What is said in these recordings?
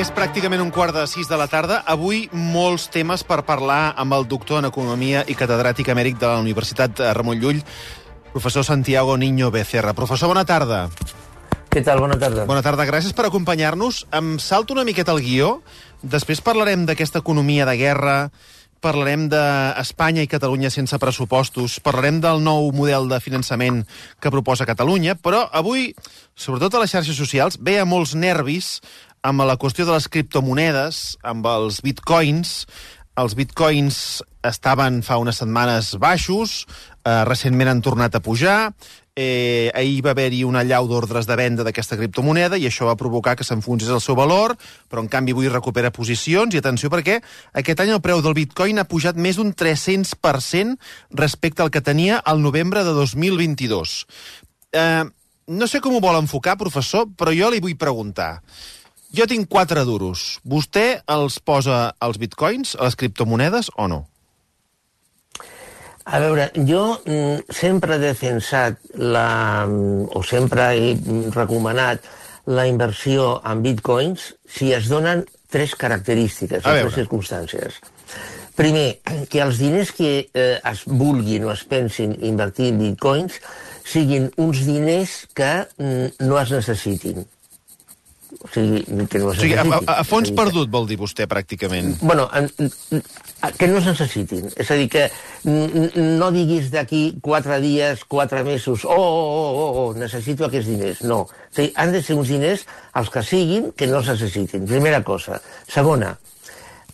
És pràcticament 5:45 de la tarda. Avui molts temes per parlar amb el doctor en Economia i catedràtic emèrit de la Universitat Ramon Llull, professor Santiago Niño Becerra. Professor, bona tarda. Què tal? Bona tarda. Bona tarda, gràcies per acompanyar-nos. Em salto una miqueta el guió. Després parlarem d'aquesta economia de guerra, parlarem d'Espanya i Catalunya sense pressupostos, parlarem del nou model de finançament que proposa Catalunya, però avui, sobretot a les xarxes socials, veia molts nervis amb la qüestió de les criptomonedes, amb els bitcoins. Els bitcoins estaven fa unes setmanes baixos, recentment han tornat a pujar, ahir va haver-hi una allau d'ordres de venda d'aquesta criptomoneda i això va provocar que s'enfonsés el seu valor, però en canvi avui recupera posicions. I atenció, perquè aquest any el preu del bitcoin ha pujat més d'un 300% respecte al que tenia al novembre de 2022. No sé com ho vol enfocar, professor, però jo li vull preguntar. Jo tinc 4 duros. Vostè els posa als bitcoins, a les criptomonedes, o no? A veure, jo sempre he defensat o sempre he recomanat la inversió en bitcoins si es donen 3 característiques, 3 circumstàncies. Primer, que els diners que es vulguin o es pensin invertir en bitcoins siguin uns diners que no es necessitin. O sigui, que no es necessitin. A fons perdut vol dir vostè, pràcticament. Bueno, que no es necessitin. És a dir, que no diguis d'aquí 4 dies, 4 mesos, necessito aquests diners. No. O sigui, han de ser uns diners, els que siguin, que no es necessitin. Primera cosa. Segona,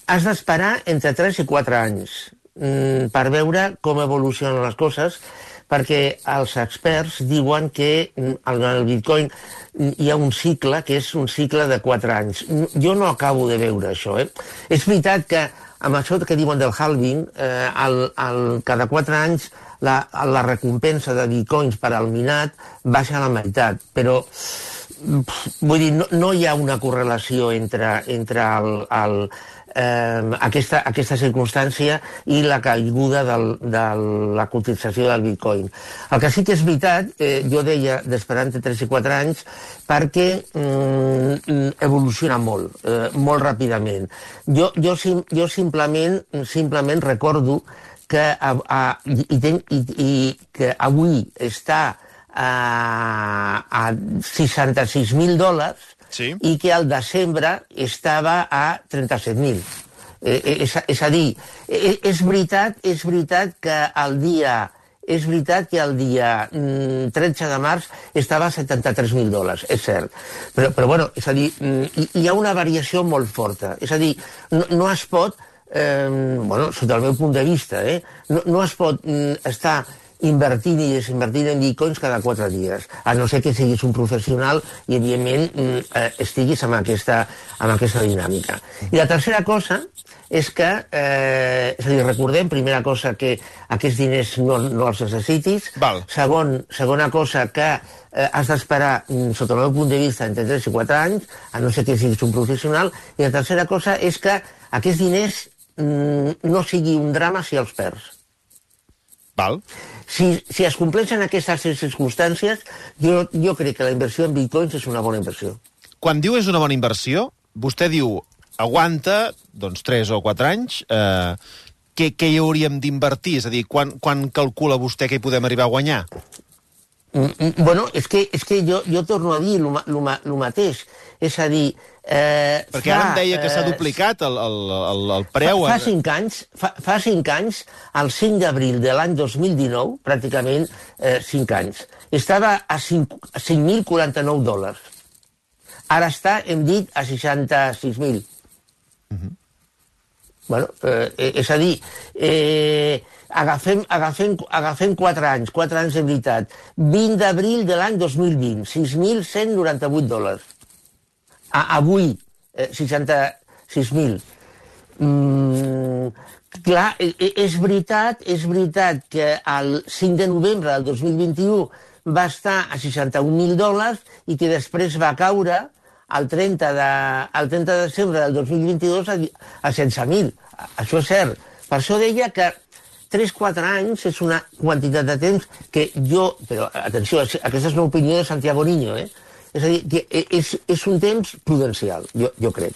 has d'esperar entre 3 i 4 anys per veure com evolucionen les coses, perquè els experts diuen que en el bitcoin hi ha un cicle que és un cicle de 4 anys. Jo no acabo de veure això. És veritat que amb això que diuen del halving, cada 4 anys la recompensa de bitcoins per al minat baixa a la meitat, però vull dir, no hi ha una correlació entre aquesta circumstància i la caiguda de la cotització del bitcoin. El que sí que és veritat, jo deia d'esperar entre 3 i 4 anys, perquè evoluciona molt ràpidament. Jo simplement recordo que avui està a $66.000, sí, i que al desembre estava a 37.000. És a dir, és veritat que el dia 13 de març estava a $73.000, és cert. Però bueno, és a dir, hi ha una variació molt forta. És a dir, no es pot, sota el meu punt de vista, no es pot estar invertint i desinvertint en bitcoins cada 4 dies, a no ser que siguis un professional i, evidentment, estiguis amb aquesta dinàmica. I la tercera cosa és que, és a dir, recordem, primera cosa, que aquests diners no els necessitis. Segona cosa, que has d'esperar, sota el meu punt de vista, entre 3 i 4 anys, a no ser que siguis un professional. I la tercera cosa és que aquests diners no sigui un drama si els perds. Si es compleixen aquestes 3 circumstàncies, jo crec que la inversió en bitcoins és una bona inversió. Quan diu és una bona inversió, vostè diu aguanta, doncs, 3 o 4 anys, què hi hauríem d'invertir? És a dir, quan calcula vostè que hi podem arribar a guanyar? Bueno, és que jo torno a dir el mateix. És a dir... Perquè ara em deia que s'ha duplicat el preu. Fa 5 anys, el 5 d'abril de l'any 2019, pràcticament 5 anys, estava a $5.049. Ara està, hem dit, a 66.000. Bueno, és a dir, agafem 4 anys de veritat. 20 d'abril de l'any 2020, $6.198. Avui, 66.000. Clar, és veritat que el 5 de novembre del 2021 va estar a $61.000 i que després va caure el 30 de desembre del 2022 a 16.000. Això és cert. Per això deia que 3-4 anys és una quantitat de temps que jo... Però, atenció, aquesta és una opinió de Santiago Niño, És a dir, que és un temps prudencial, jo crec.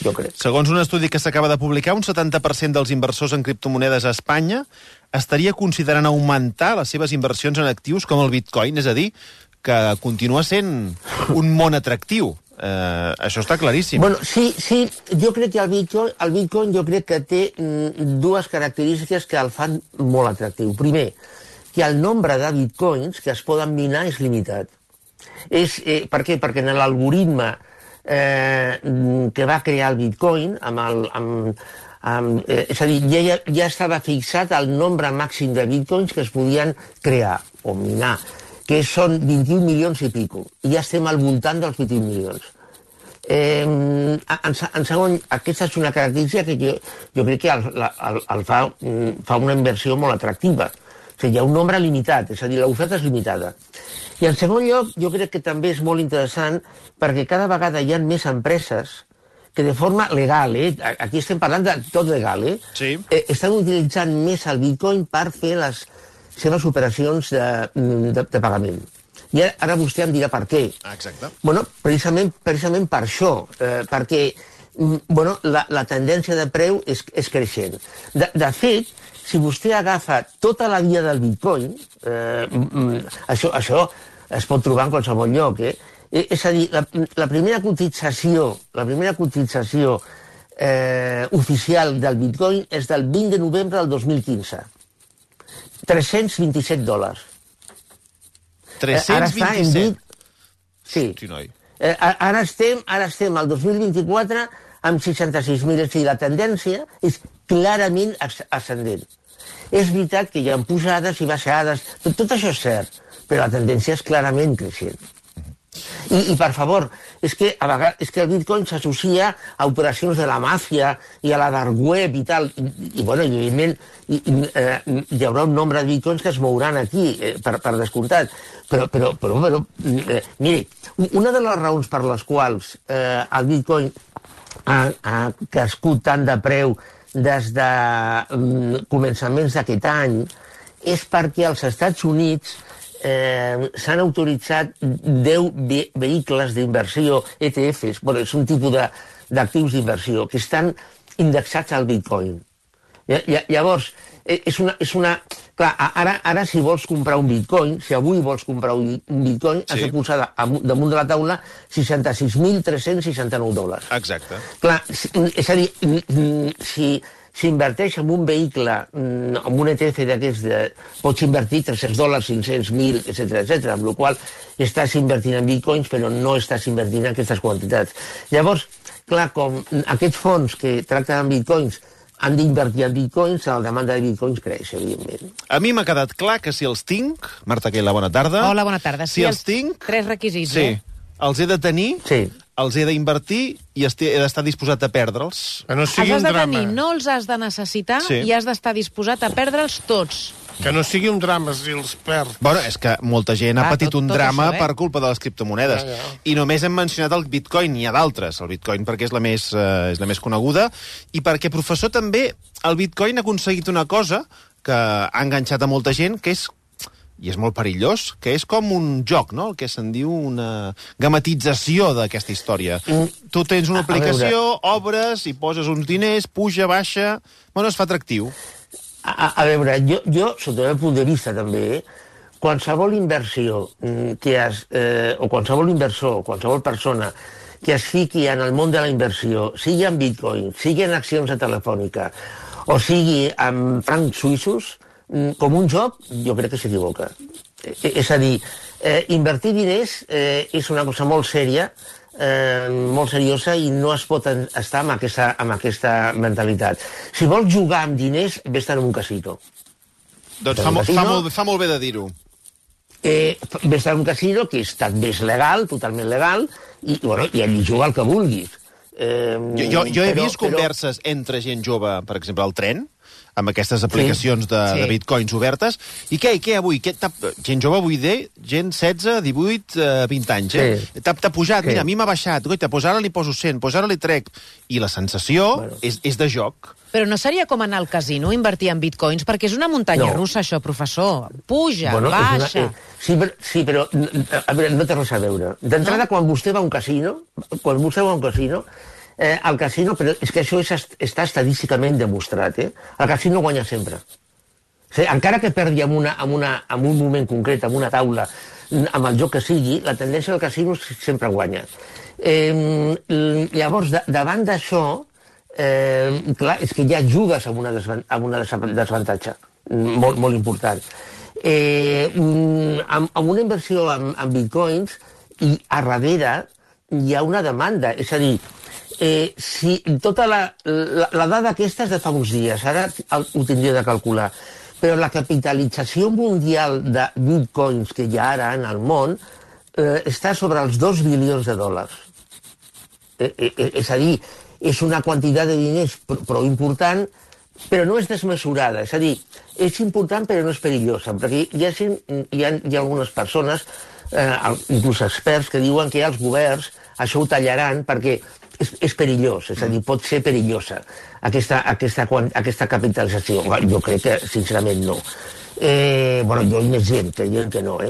Jo crec. Segons un estudi que s'acaba de publicar, un 70% dels inversors en criptomonedes a Espanya estaria considerant augmentar les seves inversions en actius com el Bitcoin, és a dir, que continua sent un món atractiu. Això està claríssim. Bueno, sí, jo crec que el Bitcoin jo crec que té dues característiques que el fan molt atractiu. Primer, que el nombre de bitcoins que es poden minar és limitat. Per què? Perquè en l'algoritme que va crear el Bitcoin, és a dir, ja estava fixat el nombre màxim de bitcoins que es podien crear o minar, que són 21 milions i pico. I ja estem al voltant dels 21 milions. En segon, aquesta és una característica que jo crec que el fa una inversió molt atractiva. O sigui, hi ha un nombre limitat, és a dir, l'oferta és limitada. I en segon lloc, jo crec que també és molt interessant perquè cada vegada hi ha més empreses que de forma legal, aquí estem parlant de tot legal, sí, estan utilitzant més el Bitcoin per fer les seves operacions de pagament. I ara vostè em dirà per què. Exacte. Bueno, precisament per això, perquè la tendència de preu és creixent. De fet, si vostè agafa tota la via del Bitcoin, això es pot trobar en qualsevol lloc, és a dir, la primera cotització oficial del Bitcoin és del 20 de novembre del 2015. $327. 327? Sí. Sí, noi. Ara estem al 2024 amb 66.000. És a dir, la tendència és clarament ascendent. És veritat que hi ha pujades i baixades, tot això és cert, però la tendència és clarament creixent. I per favor, és que a vegades el Bitcoin s'associa a operacions de la màfia i a la dark web i tal, i evidentment hi haurà un nombre de Bitcoins que es mouran aquí, per descomptat, però miri, una de les raons per les quals el Bitcoin ha crescut tant de preu des de començaments d'aquest any és perquè als Estats Units s'han autoritzat 10 vehicles d'inversió, ETFs, és un tipus d'actius d'inversió, que estan indexats al Bitcoin. Llavors, clar, ara si vols comprar un Bitcoin, si avui vols comprar un Bitcoin, has de posar damunt de la taula $66.369. Exacte. Clar, és a dir, si s'inverteix en un vehicle, en un ETF d'aquests, pots invertir $300, $500, $1.000, etc., amb la qual estàs invertint en bitcoins, però no estàs invertint en aquestes quantitats. Llavors, clar, com aquests fons que tracten amb bitcoins han d'invertir en bitcoins, la demanda de bitcoins creix, evidentment. A mi m'ha quedat clar que si els tinc... Marta Quela, bona tarda. Hola, bona tarda. Si els tinc... 3 requisits, sí, els he de tenir... Sí. Els he d'invertir i he d'estar disposat a perdre'ls. Que no sigui els un has de drama. tenir, no els has de necessitar, Sí. i has d'estar disposat a perdre'ls tots. Que no sigui un drama si els perd. Bueno, és que molta gent ha patit un tot drama això, per culpa de les criptomonedes. Ja. I només hem mencionat el Bitcoin, n'hi ha d'altres. El Bitcoin perquè és la més coneguda. I perquè, professor, també el Bitcoin ha aconseguit una cosa que ha enganxat a molta gent, que és, i és molt perillós, que és com un joc, no? El que se'n diu una gamatització d'aquesta història. Tu tens una aplicació, obres i poses uns diners, puja, baixa... Bueno, es fa atractiu. A veure, jo, sota el meu punt de vista també, qualsevol inversió o qualsevol inversor, qualsevol persona que es fiqui en el món de la inversió, sigui en bitcoin, sigui en accions de Telefònica, o sigui en francs suïssos, com un joc, jo crec que s'equivoca. És a dir, invertir diners és una cosa molt sèria, molt seriosa, i no es pot estar amb aquesta mentalitat. Si vols jugar amb diners, vés-te'n en un casino. Doncs fa molt bé de dir-ho. Vés-te'n en un casino que també és legal, totalment legal, i allí juga el que vulguis. Jo he vist converses entre gent jove, per exemple, al tren, amb aquestes aplicacions de bitcoins obertes. I què avui? Gent jove avui gent 16, 18, 20 anys, T'ha pujat, mira, a mi m'ha baixat, goita, doncs ara li poso 100, doncs ara li trec. I la sensació és de joc. Però no seria com anar al casino, invertir en bitcoins? Perquè és una muntanya russa, això, professor. Puja, baixa... Sí, però a veure, no té res a veure. D'entrada, quan vostè va a un casino, al casino, però és que això està estadísticament demostrat, el casino guanya sempre. O sigui, encara que perdi en un moment concret, en una taula, amb el joc que sigui, la tendència del casino sempre guanya. Llavors, davant d'això, clar, és que ja jugues amb una desavantatge molt important. Amb una inversió en bitcoins, i a darrere hi ha una demanda, és a dir, si tota la dada aquesta és de fa uns dies, ara ho tindria de calcular, però la capitalització mundial de bitcoins que hi ha ara en el món està sobre els 2 bilions de dòlars. És a dir, és una quantitat de diners prou important, però no és desmesurada. És a dir, és important però no és perillosa, perquè hi ha algunes persones, inclús experts, que diuen que els governs això ho tallaran perquè és perillós, és a dir, pot ser perillosa aquesta capitalització. Jo crec que, sincerament, no. Jo hi ha més gent que diuen que no.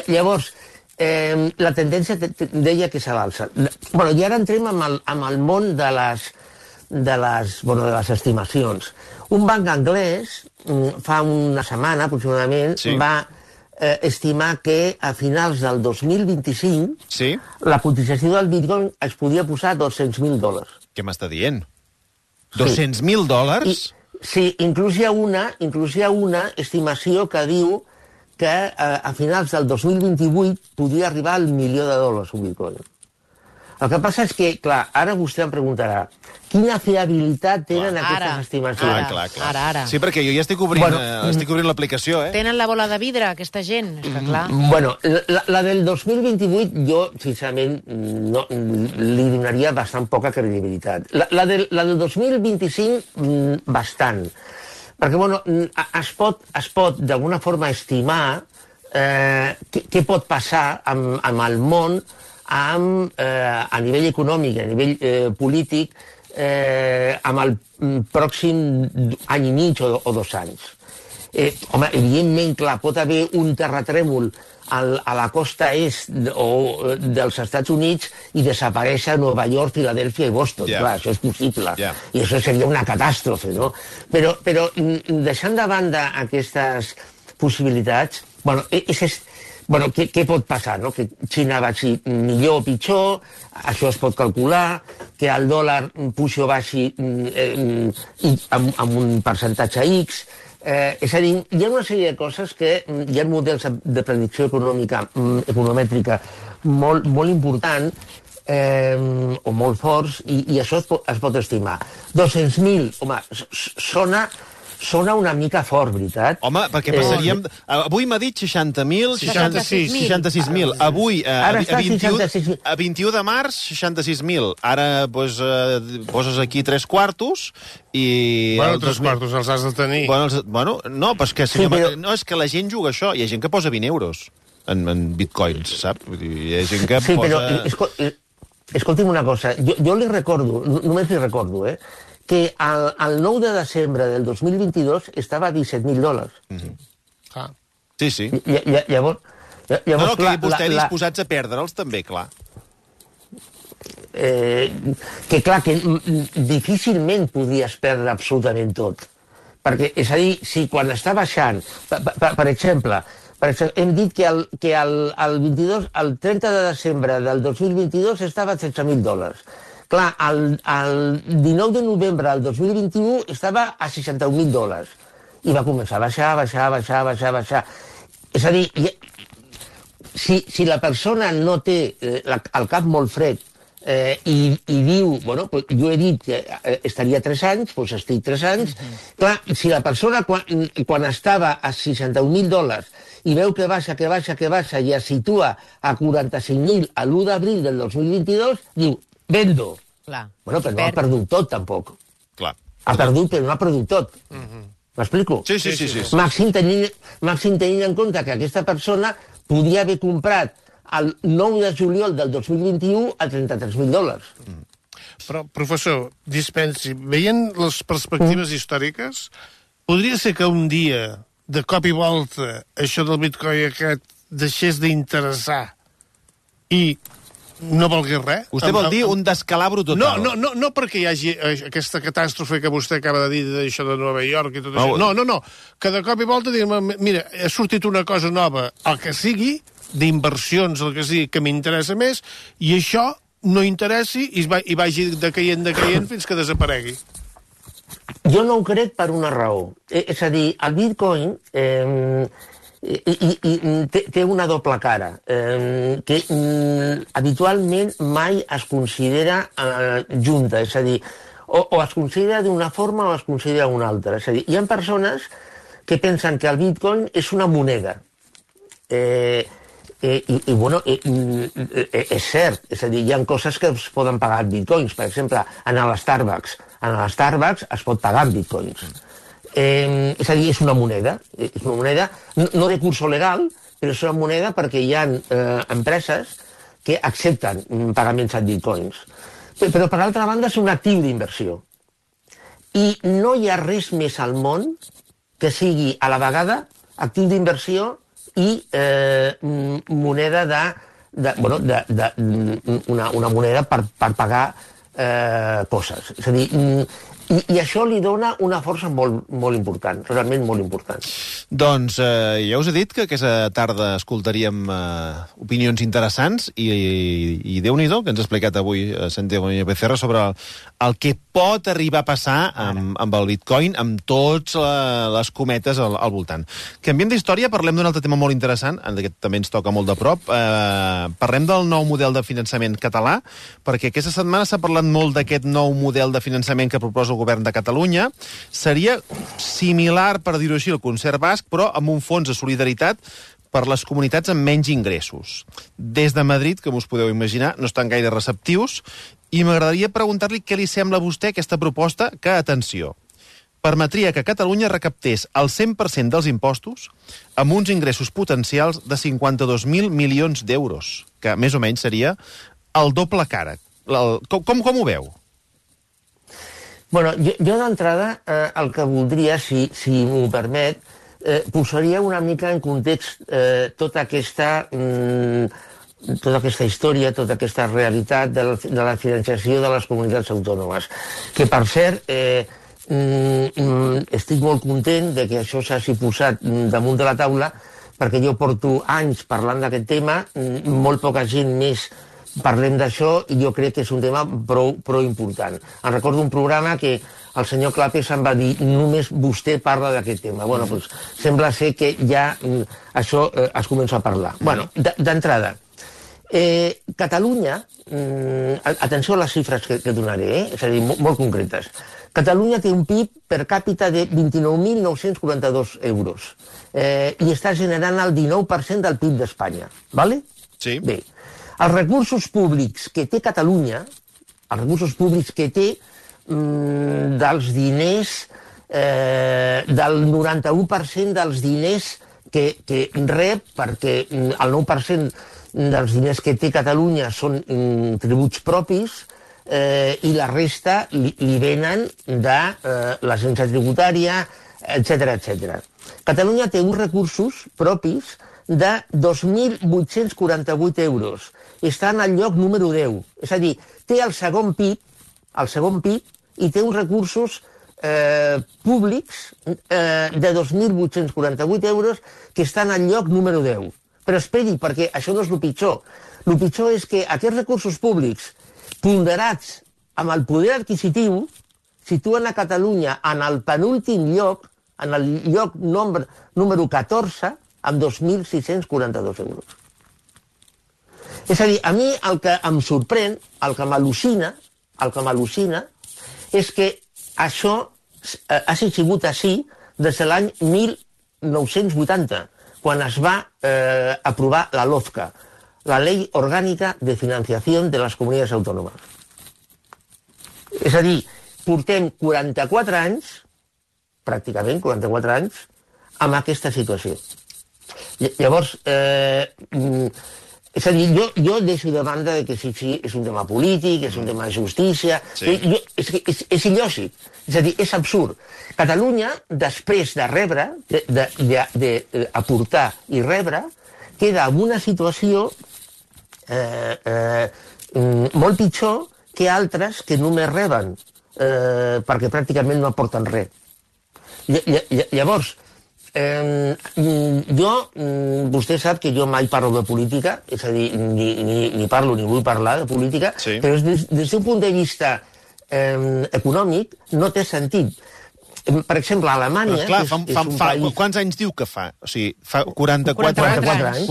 Llavors, la tendència deia que s'avança. I ara entrem amb el món de les estimacions. Un banc anglès, fa una setmana aproximadament, va estimar que a finals del 2025 la cotització del bitcoin es podia posar a $200.000. Què m'està dient? $200.000? Sí, inclús hi ha una estimació que diu que a finals del 2028 podria arribar al $1.000.000 un bitcoin. El que passa és que, clar, ara vostè em preguntarà quina fiabilitat tenen aquestes estimacions. Ara. Sí, perquè jo ja estic obrint l'aplicació, Tenen la bola de vidre, aquesta gent, és que clar. La del 2028 jo, sincerament, li donaria bastant poca credibilitat. La del 2025, bastant. Perquè, es pot d'alguna forma estimar què pot passar amb el món a nivell econòmic, a nivell polític, amb el pròxim any i mig o 2 anys. Evidentment, clar, pot haver un terratrèmol a la costa est dels Estats Units i desaparèixer Nova York, Filadèlfia i Boston. Clar, això és possible. I això seria una catàstrofe, no? Però deixant de banda aquestes possibilitats, què pot passar? Que Xina vagi millor o pitjor, això es pot calcular, que el dòlar pugi o baixi amb un percentatge X. És a dir, hi ha una sèrie de coses que hi ha models de predicció economètrica molt important o molt forts i això es pot estimar. 200.000, home, sona una mica fort, veritat? Home, perquè passaríem... Avui m'ha dit 60.000... 66.000. Avui, a 21 de març, 66.000. Ara poses aquí 3 quartos i... Bueno, 3 quartos els has de tenir. No, és que la gent juga això. Hi ha gent que posa 20 euros en bitcoins, saps? Hi ha gent que posa... Sí, però escolti'm una cosa. Jo li recordo, només li recordo, que el 9 de desembre del 2022 estava a $17.000. Sí. Llavors, que vostè disposats a perdre'ls també, clar. Que clar, que difícilment podies perdre absolutament tot. Perquè, és a dir, si quan està baixant, per exemple, hem dit que el 30 de desembre del 2022 estava a $16.000. Clar, el 19 de novembre del 2021 estava a $61.000 i va començar a baixar. És a dir, si la persona no té el cap molt fred i diu, jo he dit que estaria 3 anys, doncs estic 3 anys. Clar, si la persona quan estava a $61.000 i veu que baixa i es situa a 45.000 a l'1 d'abril del 2022, diu, vendo. Clar. Però no ha perdut tot, tampoc. Clar. Ha perdut, però no ha perdut tot. M'explico? Sí. Màxim tenint en compte que aquesta persona podia haver comprat el 9 de juliol del 2021 a $33.000. Però, professor, dispensi, veient les perspectives històriques, podria ser que un dia, de cop i volta, això del bitcoin aquest deixés d'interessar i no valgués res? Vostè vol dir un descalabro total? No perquè hi hagi aquesta catàstrofe que vostè acaba de dir d'això de Nova York i tot això. No. Que de cop i volta diguem, mira, ha sortit una cosa nova, el que sigui, d'inversions, el que sigui, que m'interessa més, i això no interessi i vagi decaient fins que desaparegui. Jo no ho crec per una raó. És a dir, el bitcoin té una doble cara, que habitualment mai es considera junta, és a dir, o es considera d'una forma o es considera d'una altra. És a dir, hi ha persones que pensen que el bitcoin és una moneda. Bueno, és cert, és a dir, hi ha coses que es poden pagar en bitcoins. Per exemple, anar a l'Starbucks. En l'Starbucks es pot pagar en bitcoins. És a dir, és una moneda. És una moneda no de curso legal, però és una moneda perquè hi ha empreses que accepten pagaments en bitcoins. Però, per altra banda, és un actiu d'inversió. I no hi ha res més al món que sigui a la vegada actiu d'inversió i moneda una moneda per pagar coses. És a dir, i això li dona una força molt important, realment molt important. Doncs ja us he dit que aquesta tarda escoltaríem opinions interessants i Déu-n'hi-do que ens ha explicat avui Santiago Becerra sobre el que pot arribar a passar amb el bitcoin, amb tots les cometes al voltant. Canviem d'història, parlem d'un altre tema molt interessant, aquest també ens toca molt de prop. Parlem del nou model de finançament català, perquè aquesta setmana s'ha parlat molt d'aquest nou model de finançament que proposa el govern de Catalunya. Seria similar, per dir-ho així, al concert basc, però amb un fons de solidaritat per les comunitats amb menys ingressos. Des de Madrid, com us podeu imaginar, no estan gaire receptius, i m'agradaria preguntar-li què li sembla a vostè aquesta proposta que, atenció, permetria que Catalunya recaptés el 100% dels impostos amb uns ingressos potencials de 52.000 milions d'euros, que més o menys seria el doble càrrec. Com ho veu? Bueno, jo d'entrada el que voldria, si m'ho permet, posaria una mica en context tota aquesta història, tota aquesta realitat de la financiació de les comunitats autònomes. Que, per cert, estic molt content de que això s'hagi posat damunt de la taula, perquè jo porto anys parlant d'aquest tema, molt poca gent més parlem d'això i jo crec que és un tema prou important. Em recordo un programa que el senyor Clapés em va dir només vostè parla d'aquest tema. Bueno, doncs sembla ser que ja això es comença a parlar. Bueno, d'entrada, Catalunya, atenció a les xifres que donaré, és a dir, molt concretes. Catalunya té un PIB per càpita de 29.942 euros i està generant el 19% del PIB d'Espanya. Vale? Sí. Bé, els recursos públics que té Catalunya, els recursos públics que té dels diners, del 91% dels diners que rep, perquè el 9% dels diners que té Catalunya són tributs propis i la resta li venen de l'agència tributària, etc. Catalunya té uns recursos propis de 2.848 euros. Està en el lloc número 10. És a dir, té el segon PIB, i té uns recursos públics de 2.848 euros que estan al lloc número 10. Però esperi, perquè això no és el pitjor. El pitjor és que aquests recursos públics, ponderats amb el poder adquisitiu, situen a Catalunya en el penúltim lloc, en el lloc número 14, amb 2.642 euros. És a dir, a mi el que em sorprèn, el que m'al·lucina, és que això hagi sigut així des de l'any 1980, quan es va aprovar la LOFCA, la Ley Orgánica de Financiación de las Comunidades Autónomas. És a dir, portem 44 anys pràcticament 44 anys, amb aquesta situació. Llavors, és a dir, jo deixo de banda que si és un tema polític, és un tema de justícia... Sí. És il·lògic, és a dir, és absurd. Catalunya, després de rebre, d'aportar i rebre, queda en una situació molt pitjor que altres que només reben, perquè pràcticament no aporten res. Llavors, vostè sap que jo mai parlo de política, és a dir, ni parlo ni vull parlar de política, sí. Però des d'un punt de vista econòmic no té sentit. Per exemple, a Alemanya... Clar, quants anys diu que fa? O sigui, fa 44 anys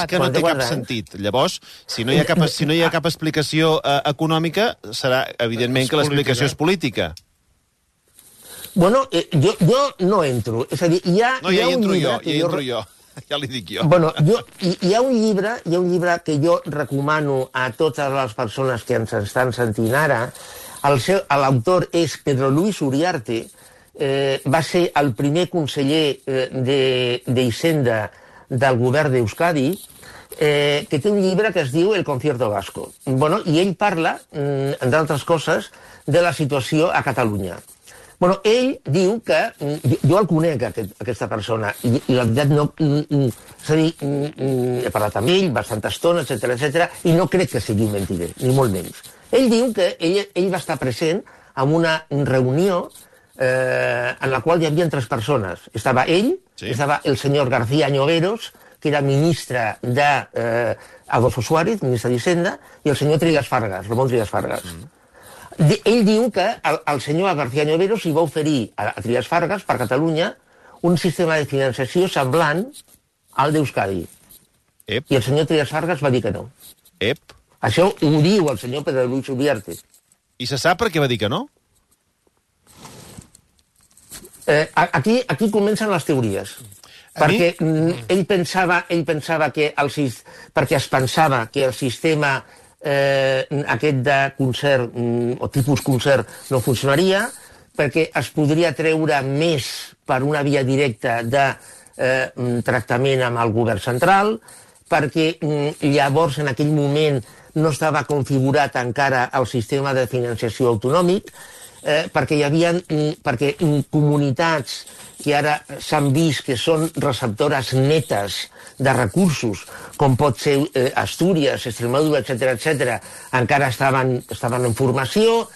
que no té cap sentit. Llavors, si no hi ha cap explicació econòmica, serà evidentment que l'explicació és política. Bueno, jo no entro. És a dir, hi ha un llibre... Hi entro jo. Ja li dic jo. Bueno, hi ha un llibre que jo recomano a totes les persones que ens estan sentint ara. L'autor és Pedro Luis Uriarte, va ser el primer conseller d'Hisenda del govern d'Euskadi, que té un llibre que es diu El concierto vasco. Bueno, i ell parla, entre altres coses, de la situació a Catalunya. Bueno, ell diu que... Jo el conec, aquesta persona, i la veritat no... És a dir, he parlat amb ell bastanta estona, etc, i no crec que sigui un mentider, ni molt menys. Ell diu que ell va estar present en una reunió en la qual hi havia 3 persones. Estava ell, sí. Estava el senyor García Lloveros, que era ministre d'Adolfo Suárez, ministre d'Hisenda, i el senyor Trias Fargas, Ramon Trias Fargas. Ell diu que el senyor García Lloveros hi va oferir a Trias Fargas, per Catalunya, un sistema de financiació semblant al d'Euskadi. I el senyor Trias Fargas va dir que no. Això ho diu el senyor Pedro Luis Uriarte. I se sap per què va dir que no? Aquí comencen les teories. Perquè ell pensava que perquè es pensava que el sistema aquest de concert o tipus concert no funcionaria, perquè es podria treure més per una via directa de tractament amb el govern central, perquè llavors en aquell moment no estava configurat encara el sistema de financiació autonòmic, perquè hi havia comunitats que ara s'han vist que són receptores netes de recursos, com pot ser Astúries, Extremadura, etc., encara estaven en formació.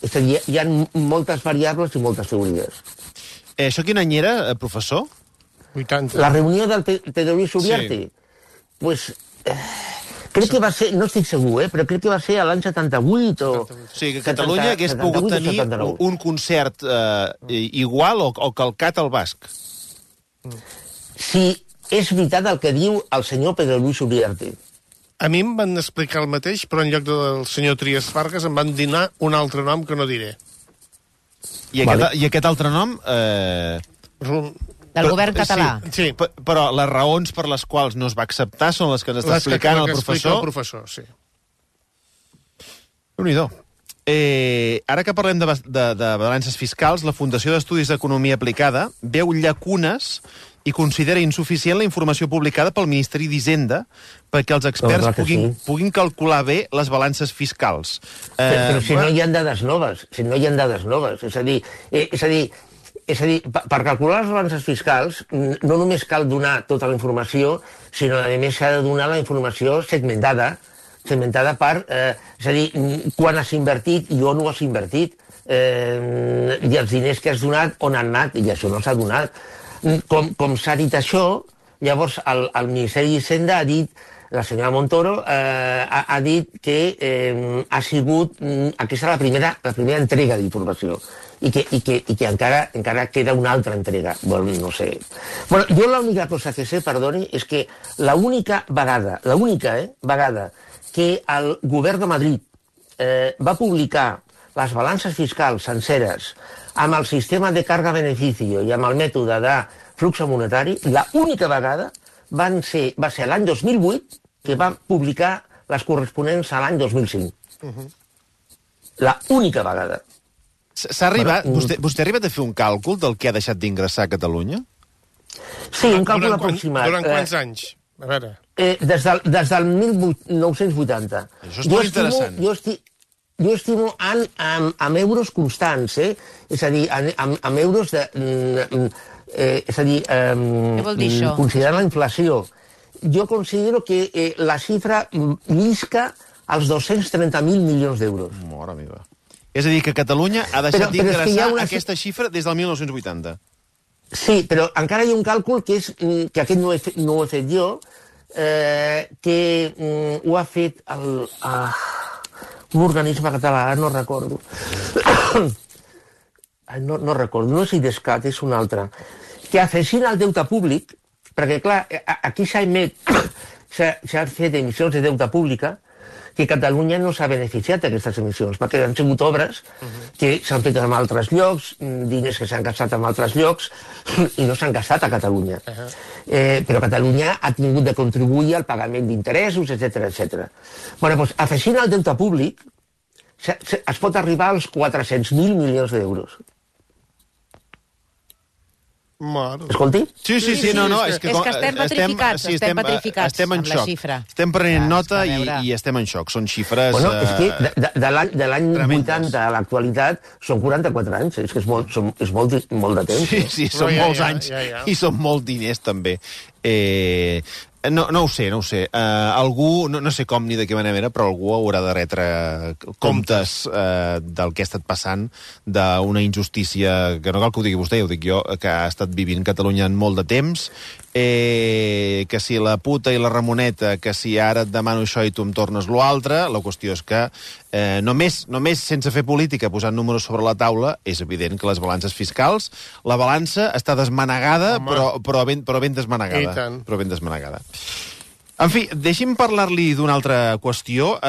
És a dir, hi ha moltes variables i moltes teories. Això quin any era, professor? 80. La reunió del Pedro Luis Uriarte? Sí. Pues... crec que va ser, no estic segur, però crec que va ser a l'any 78 o... O sigui, que Catalunya hagués pogut tenir un concert igual o calcat al basc. Si és veritat el que diu el senyor Pedro Luis Uriarte. A mi em van explicar el mateix, però en lloc del senyor Trias Fargas em van donar un altre nom que no diré. I aquest altre nom... Del govern català. Sí. Però les raons per les quals no es va acceptar són les que ens està explicant el professor. El professor, sí. Déu-n'hi-do. Ara que parlem de balances fiscals, la Fundació d'Estudis d'Economia Aplicada veu llacunes i considera insuficient la informació publicada pel Ministeri d'Hisenda perquè els experts puguin calcular bé les balances fiscals. Però si no hi ha dades noves, és a dir, per calcular les balances fiscals no només cal donar tota la informació, sinó a més s'ha de donar la informació segmentada per, és a dir, quan has invertit i on ho has invertit, i els diners que has donat, on han anat, i això no s'ha donat. Com s'ha dit això, llavors el Ministeri d'Hisenda ha dit, la senyora Montoro ha dit que ha sigut aquesta la primera entrega d'informació i que encara queda una altra entrega. Bueno, no sé. Bueno, jo l'única cosa que sé, perdoni, és que l'única vegada que el govern de Madrid va publicar les balances fiscals senceres amb el sistema de carga-beneficio i amb el mètode de flux monetari, l'única vegada va ser l'any 2008 que va publicar les corresponents a l'any 2005. L'única vegada. S'ha arribat... Vostè ha arribat a fer un càlcul del que ha deixat d'ingressar a Catalunya? Sí, un càlcul aproximat. Durant quants anys? A veure... Des del 1980. Això és molt interessant. Jo estimo amb euros constants, és a dir, amb euros de... és a dir, què vol dir això? Considerant la inflació. Jo considero que la xifra llisca als 230.000 milions d'euros. Mare meva. És a dir, que Catalunya ha deixat d'ingressar aquesta xifra des del 1980. Sí, però encara hi ha un càlcul que aquest no ho he fet jo, que ho ha fet un organisme català, no recordo. No recordo, no és IDESCAT, és un altre. Que afegint al deute públic, perquè clar, aquí s'ha fet emissions de deute pública, que Catalunya no s'ha beneficiat d'aquestes emissions, perquè han sigut obres que s'han fet en altres llocs, diners que s'han gastat en altres llocs, i no s'han gastat a Catalunya. Però Catalunya ha tingut de contribuir al pagament d'interessos, etc. Bueno, doncs, afegint al deute públic, es pot arribar als 400.000 milions d'euros. Escolti? Sí, no, és que estem petrificats, estem en amb la xoc. xifra. Estem prenent nota i estem en xoc. Són xifres... Bueno, és que de l'any 80 a l'actualitat són 44 anys, és que és molt de temps. Sí, són molts anys i són molts diners, també. No ho sé. Algú, no sé com ni de què manera, però algú haurà de retre comptes del que ha estat passant, d'una injustícia, que no cal que ho digui vostè, ho dic jo, que ha estat vivint Catalunya en molt de temps, que si la puta i la Ramoneta, que si ara et demano això i tu em tornes lo altre, la qüestió és que només sense fer política, posant números sobre la taula, és evident que les balances fiscals, la balança està desmanegada, però ben desmanegada. Però ben desmanegada. En fi, deixi'm parlar-li d'una altra qüestió.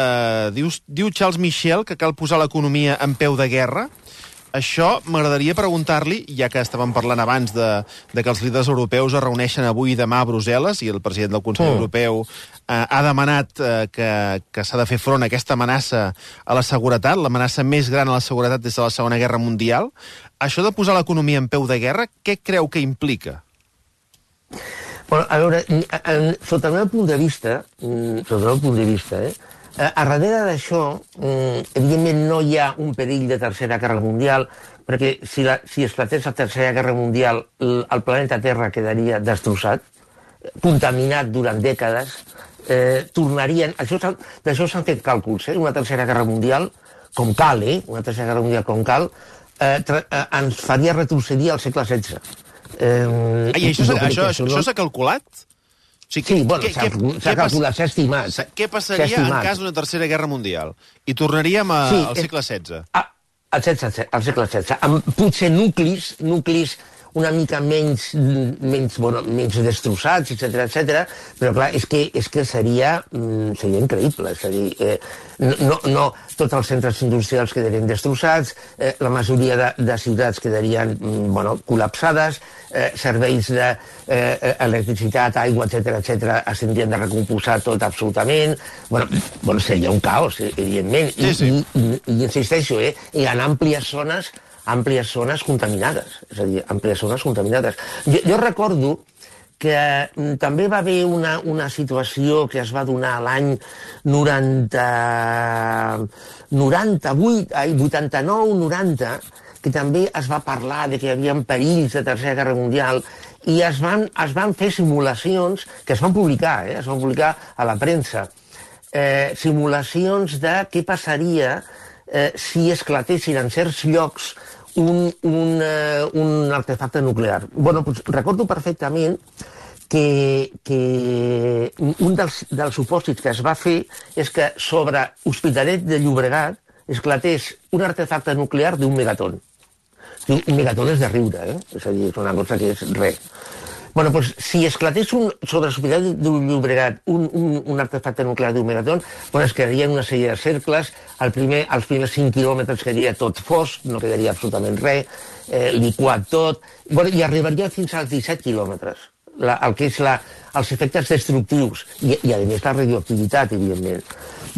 Diu Charles Michel que cal posar l'economia en peu de guerra. Això m'agradaria preguntar-li, ja que estàvem parlant abans de que els líders europeus es reuneixen avui i demà a Brussel·les i el president del Consell Europeu ha demanat que s'ha de fer front a aquesta amenaça a la seguretat, l'amenaça més gran a la seguretat des de la Segona Guerra Mundial. Això de posar l'economia en peu de guerra, què creu que implica? Bueno, a veure, sota el meu punt de vista, a darrere d'això, evidentment no hi ha un perill de Tercera Guerra Mundial, perquè si esclatés la Tercera Guerra Mundial, el planeta Terra quedaria destrossat, contaminat durant dècades, tornarien... D'això s'han fet càlculs, una Tercera Guerra Mundial, com cal, una Tercera Guerra Mundial com cal, ens faria retrocedir al segle XVI. I això s'ha calculat? Sí, bueno, s'ha calculat, s'ha estimat. Què passaria en cas d'una Tercera Guerra Mundial? I tornaríem al segle XVI? Al segle XVI. Amb potser nuclis una mica menys destrossats, etc. Però clar, és que seria increïble. És a dir, no tots els centres industrials quedarien destrossats, la majoria de ciutats quedarien col·lapsades, serveis d'electricitat, aigua, etc. es tindrien de recompondre tot absolutament. Bueno, seria un caos, evidentment. I insisteixo, hi ha àmplies zones contaminades. És a dir, àmplies zones contaminades. Jo recordo que també va haver una situació que es va donar l'any 89-90, que també es va parlar de que hi havia perills de Tercera Guerra Mundial i es van fer simulacions que es van publicar a la premsa. Simulacions de què passaria si esclatessin en certs llocs un artefacte nuclear. Doncs recordo perfectament que un dels supòsits que es va fer és que sobre Hospitalet de Llobregat esclatés un artefacte nuclear d'un megaton. Un megaton és de riure, és a dir, és una cosa que és res. Doncs si esclatés sobre l'Hospitalet de Llobregat un artefacte nuclear d'un megaton, es quedaria en una sèrie de cercles, els primers 5 quilòmetres quedaria tot fosc, no quedaria absolutament res, liquat tot, i arribaria fins als 17 quilòmetres, el que és els efectes destructius, i a més la radioactivitat, evidentment.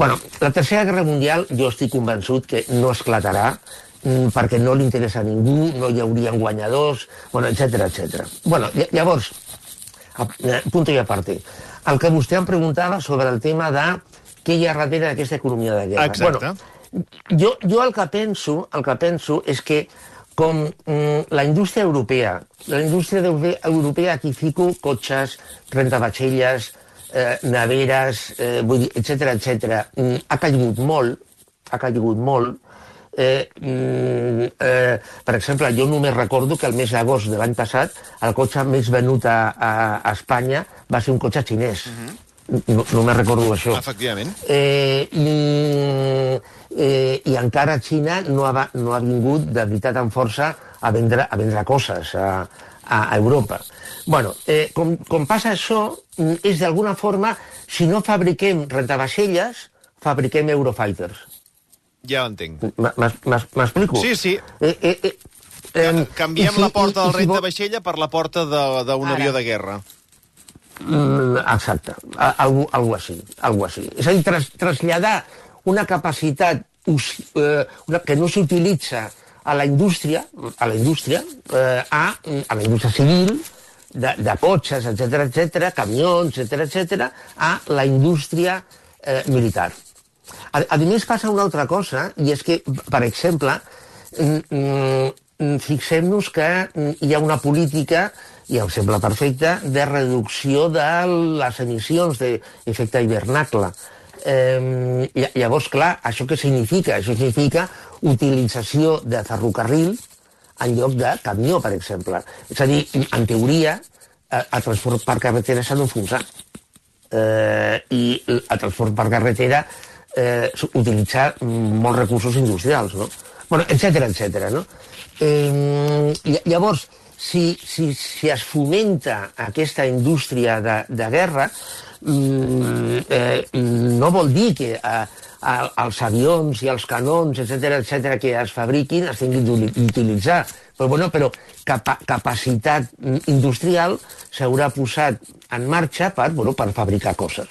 La Tercera Guerra Mundial jo estic convençut que no esclatarà, perquè no li interessa a ningú, no hi haurien guanyadors, bueno, etcètera, etcètera. Bueno, llavors, punto i a parte. El que vostè em preguntava sobre el tema de què hi ha darrere d'aquesta economia de guerra. Exacte. Bueno, jo el que penso és que com la indústria europea aquí fico cotxes, rentavaixelles, neveres, vull dir, etcètera, ha caigut molt. Per exemple, jo només recordo que el mes d'agost de l'any passat el cotxe més venut a Espanya va ser un cotxe xinès. Només recordo això. Efectivament. I encara Xina no ha vingut de veritat amb força a vendre coses a Europa. Bueno, com passa això, és d'alguna forma, si no fabriquem rentavaixelles, fabriquem Eurofighters. Ja l'entenc. M'explico? Sí. Canviem la porta del rentavaixella per la porta d'un avió de guerra. Exacte, algo així. És a dir, traslladar una capacitat que no s'utilitza a la indústria civil, de cotxes, etcètera, camions, etcètera, a la indústria militar. A més, passa una altra cosa, i és que, per exemple, fixem-nos que hi ha una política, i em sembla perfecta, de reducció de les emissions d'efecte hivernacle. Llavors, clar, això què significa? Això significa utilització de ferrocarril en lloc de camió, per exemple. És a dir, en teoria, el transport per carretera s'ha d'enfonsar. I el transport per carretera utilitzar molts recursos industrials, no? Bueno, etcètera, no? Llavors, si es fomenta aquesta indústria de guerra, no vol dir que els avions i els canons, etcètera, que es fabriquin es tinguin d'utilitzar. Però capacitat industrial s'haurà posat en marxa per fabricar coses.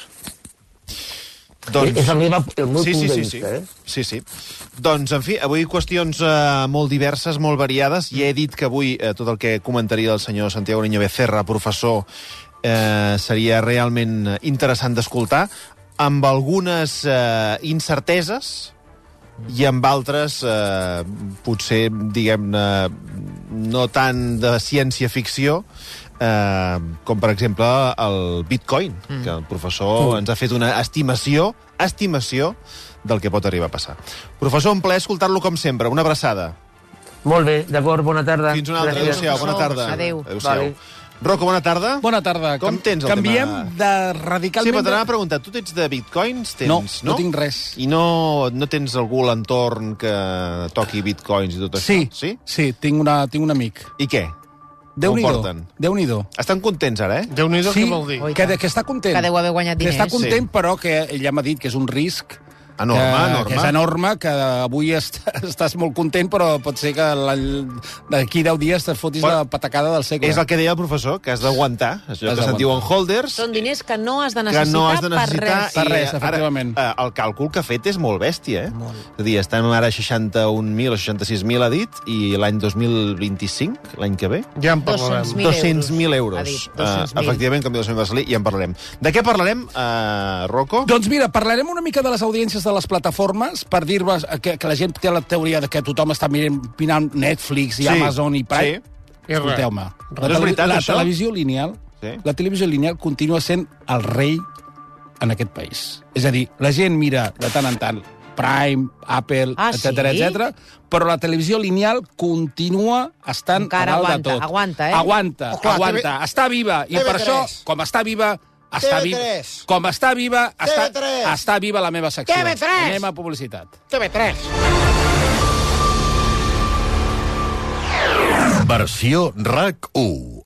És el meu punt de vista. Sí. Doncs, en fi, avui qüestions molt diverses, molt variades. Ja he dit que avui tot el que comentaria el senyor Santiago Niño Becerra, professor, seria realment interessant d'escoltar, amb algunes incerteses i amb altres, potser, diguem-ne, no tant de ciència-ficció, com per exemple el Bitcoin, que el professor ens ha fet una estimació del que pot arribar a passar. Professor, un plaer escoltar-lo com sempre. Una abraçada. Molt bé, d'acord, bona tarda. Fins una altra. Adéu-siau, bona tarda. Adéu. Vale. Rocco, bona tarda. Bona tarda. Com tens el Canviem tema? de radicalment... Sí, però t'anava a preguntar, tu ets de bitcoins? No tinc res. I no tens algú a l'entorn que toqui bitcoins i tot això? Sí, tinc un amic. I què? Déu-n'hi-do. Estan contents ara, Déu-n'hi-do, què vol dir? Que està content. Que deu haver guanyat diners. Que està content, però que ell ja m'ha dit que és un risc enorme. Que és enorme, que avui estàs molt content, però pot ser que d'aquí 10 dies te fotis la patacada del segle. És el que deia el professor, que has d'aguantar. Això que se'n diuen holders. Són diners que no has de necessitar per res. Per res, efectivament. El càlcul que ha fet és molt bèstia, És a dir, estem ara a 61.000 o 66.000, ha dit, i l'any 2025, l'any que ve... Ja en parlarem. 200.000 euros. Efectivament, com diu el senyor Marcelí, ja en parlarem. De què parlarem, Rocco? Doncs mira, parlarem una mica de les audiències de les plataformes per dir-vos que la gent té la teoria de que tothom està mirant Netflix i Amazon i Prime. Escolteu-me, la televisió lineal continua sent el rei en aquest país. És a dir, la gent mira de tant en tant Prime, Apple, etcètera, però la televisió lineal continua estant a dalt de tot. Aguanta, està viva. I per això, com està viva, està viva la meva secció. Anem a publicitat. TV3. Versió RAC 1.